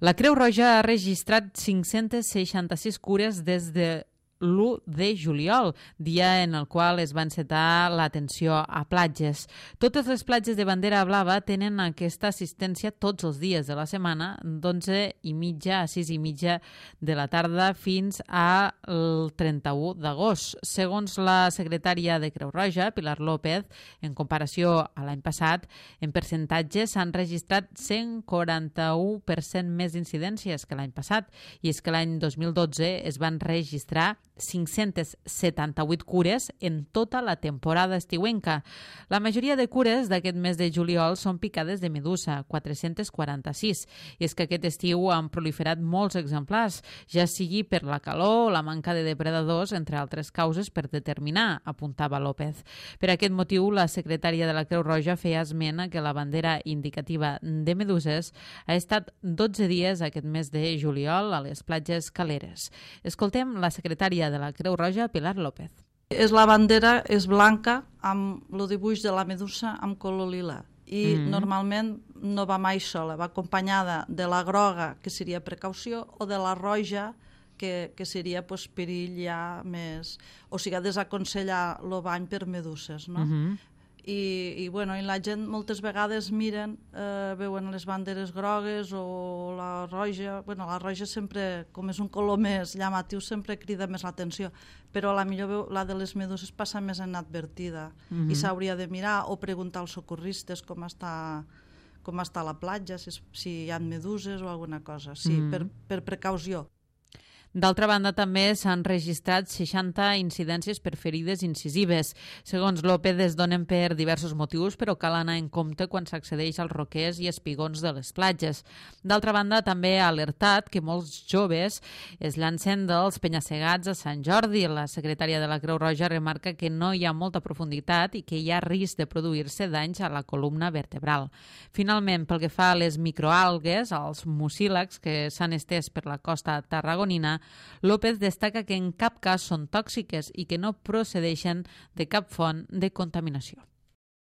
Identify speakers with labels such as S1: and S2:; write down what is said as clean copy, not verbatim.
S1: La Creu Roja ha registrat 566 cures des de l'1 de juliol, dia en el qual es va encetar l'atenció a platges. Totes les platges de bandera blava tenen aquesta assistència tots els dies de la setmana, d'11:30 a 6:30 de la tarda fins al 31 d'agost. Segons la secretària de Creu Roja, Pilar López, en comparació a l'any passat, en percentatge s'han registrat 141% més d'incidències que l'any passat, i és que l'any 2012 es van registrar 578 cures en tota la temporada estiuenca. La majoria de cures d'aquest mes de juliol són picades de medusa, 446, i és que aquest estiu han proliferat molts exemplars, ja sigui per la calor o la manca de depredadors, entre altres causes per determinar, apuntava López. Per aquest motiu, la secretària de la Creu Roja feia esment que la bandera indicativa de meduses ha estat 12 dies aquest mes de juliol a les platges caleres. Escoltem la secretària de la Creu Roja, Pilar López.
S2: La bandera és blanca amb el dibuix de la medusa amb color lila i normalment no va mai sola, va acompanyada de la groga, que seria precaució, o de la roja, que seria perill ja més... O sigui, desaconsellar el bany per meduses, no? I la gent moltes vegades miren, veuen les banderes grogues o la roja. La roja sempre, com és un color més llamatiu, sempre crida més l'atenció, però millor la de les meduses passa més inadvertida i s'hauria de mirar o preguntar als socorristes com està la platja, si hi ha meduses o alguna cosa, per precaució.
S1: D'altra banda, també s'han registrat 60 incidències per ferides incisives. Segons López, es donen per diversos motius, però cal anar en compte quan s'accedeix als roquers i espigons de les platges. D'altra banda, també ha alertat que molts joves es llancen dels penya-segats a Sant Jordi. La secretària de la Creu Roja remarca que no hi ha molta profunditat i que hi ha risc de produir-se danys a la columna vertebral. Finalment, pel que fa a les microalgues, als mucílags que s'han estès per la costa tarragonina, López destaca que en cap cas són tòxiques i que no procedeixen de cap font de contaminació.